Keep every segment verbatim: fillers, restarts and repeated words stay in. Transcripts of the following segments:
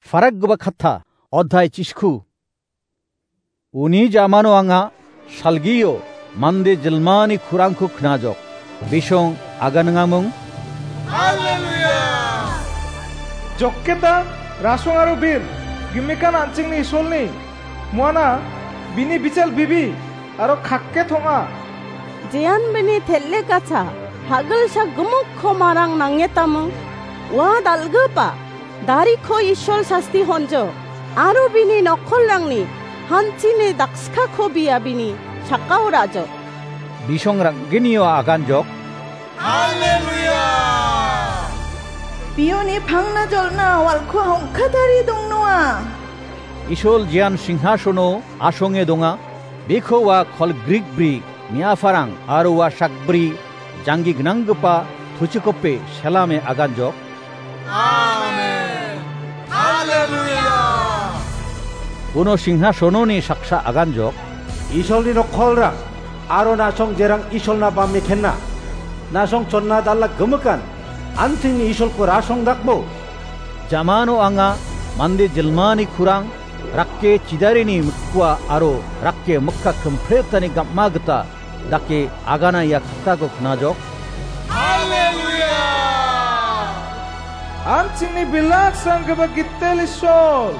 Farakgipa katta, odhai chisku. Uni jamano anga salgio mande jilmani kurangko knajok. Bisong aganingamung. Haleluya! Jokketa, rasong aro bir, gimikan an·chingni Isolni, muana, bini bichal bibi, aro kakke tong·a. Jean bini tel·e gacha, hagilsa gimikko marang nangetamung, ua dal·gipa, dariko Isol sasti honjo, aro bini nokkolrangni hanchini dakskako bia bini sakao rajo. Bisong rangginio aganjok. Haleluya! Bioni pangna jolna walko hongkatari dongnoa. Isol jean singhasono asonge donga, biko ua kolgrik bri, miafarang, aro ua sakbri, janggi gnanggipa tuchikope selame aganjok. Amen. Haleluya. Uno singhasononi saksa aganjok. Isolni nokkolrang, aro nasong jerang Isolna bame kenna. Nasong chonna dal·a gimikan, an·chingni Isolko rasong dakbo. Jamano anga mande jilmani kurang, rakke chidarini mikua aro rakke mikka kimpretani gam·a gita dake agana ia katako knajok. Haleluya! An·chingni bilak sanggipa gitel Isol,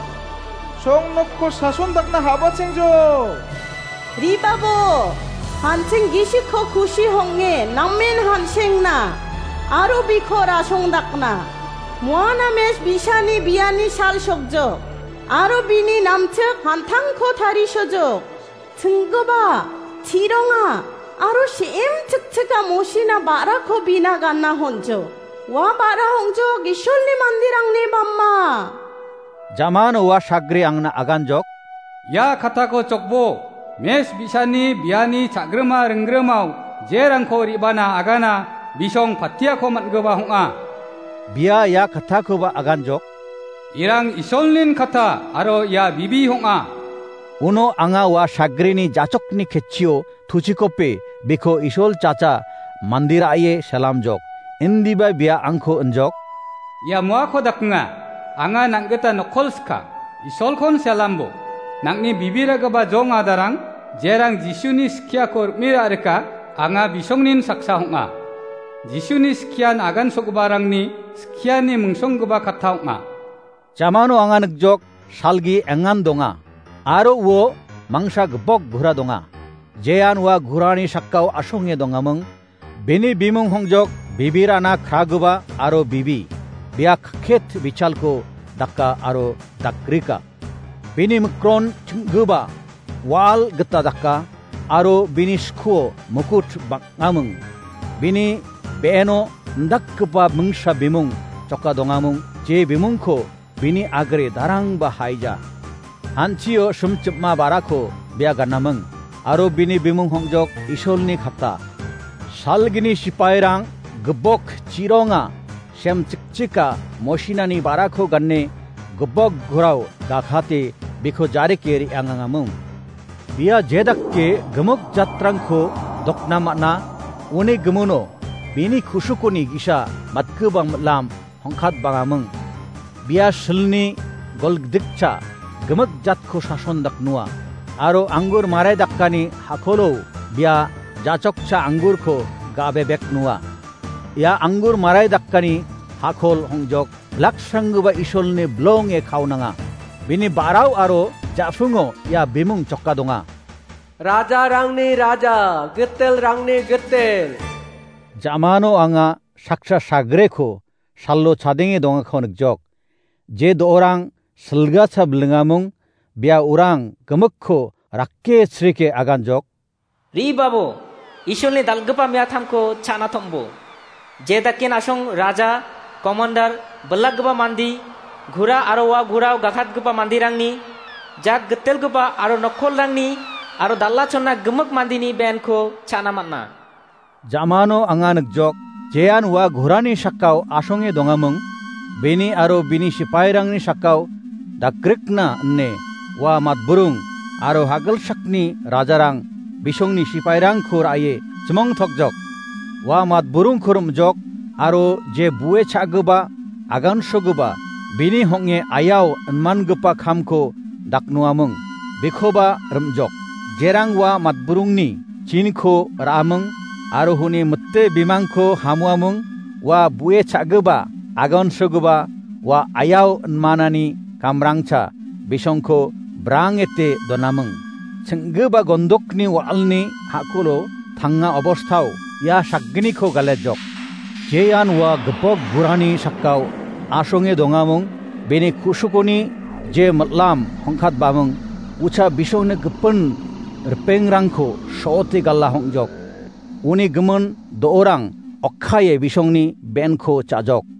song nokko sason dakna habachengjo. Ribabo, hanching gisikko kusi honge namen hansengna, aro biko rasong dakna. Muana mes bisani biani sal sokjok, aro bini namchik hantangko tarisojok. Chinggipa, chironga, aro se·em chikchika mosina ba·rako bina gana honjo. Ua ba·ra hongjok Isolni manderangni bama. Jamano ua sagre angna aganjok. Ia katako chokbo, mes bisani biani cha·grima ringgrimao jerangko re·bana agana bisong patiako man·gipa ong·a. Bia ia katakoba aganjok. Irang Isolnin kata aro ia bibi ong·a. Uno anga ua sagreni jachokni ketchio tuchikope biko Isol chacha mandira·e selamjok. Indiba bia angko injok. Ia muako dakenga, anga nang·gita nokkol sika, Isolkon selambo. Nang·ni bibiragipa jong adarang, jerang Jisuni skiako rim·e ra·rika, anga bisongnin saksa ong·a. Jisuni skian agansogiparangni skiani mingsonggipa katta ong·a. Jamano anga nikjok salgi engan donga, aro uo mangsa gipok gura donga. Jean ua gurani sakao asonge dongaming, bini bimung hongjok bibirana kragipa aro bibi, bia kakket bichalko daka aro dakrika. Bini mikron ching·gipa wal gita daka, aro bini skuo mukut bang·aming. Bini be·eno indakgipa mingsa bimung choka dongaming, je bimungko bini agre darangba haija. Hanchio simchipma barako bia ganaming, aro bini bimung hongjok Isolni kata. Salgini sipairang gipok chironga, sem chikchika mosinani barako gane gipok gurao gakhate biko jarike re·angangaming. Bia jedake gimik jatrangko dokna man·a, uni gimuno bini kusukoni gisa matgibang mitlam hongkat bangaming. Bia silni golgdikcha gimik jatko sason daknoa, aro anggur marai dakani hakolo bia jachokcha anggurko ga·bebek noa. Ia anggur marai dakani hakol hongjok laksranggipa Isolni bilonge kaunanga. Bini ba·rao aro ja·sungo ia bimung choka donga. Rajarangni Raja, gitelrangni Gitel. Jamano anga saksa sagreko salo chadenge dongako nikjok. Je do·orang silgacha bilingamung, bia orang gimikko rake srike aganjok. Ribabo, Isolni dal·gipa miatamko cha·na tom·bo. Jedakin asong raja, komandar, bilakgipa mandi, gura aro ua gurao gakatgipa mandirangni, jat gitelgipa aro nokkolrangni, aro dal·a chonna gimik mandini benko cha·na man·a. Jamano anga nikjok, jean ua gurani sakao asonge dongamung, bini aro bini sipairangni sakao dakrikna ine ua matburung aro hagilsakni rajarang bisongni sipairangko ra·e chimongtokjok. Ua matburungko rim·jok aro je bue cha·gipa, agansogipa, bini hong·e ayao inmangipa kamko daknoaming, bekoba rim·jok. Jerang ua matburungni chinko ra·aming aro uni mite bimangko hamoaming, ua bue cha·gipa, agansogipa, ua ayao inmanani kamrangcha bisongko brangete donaming. Ching·gipa gondokni wa·alni ha·kolo tanga obostao ia sakgniko galejok. Jean ua gipok gurani sakao asonge dongaming, bini ku·sukoni je mitlam hongkatbaming, ucha bisongni gipin ripengrangko so·ote gala hong·jok. Uni gimin do·orang okkaie bisongni benko cha·jok.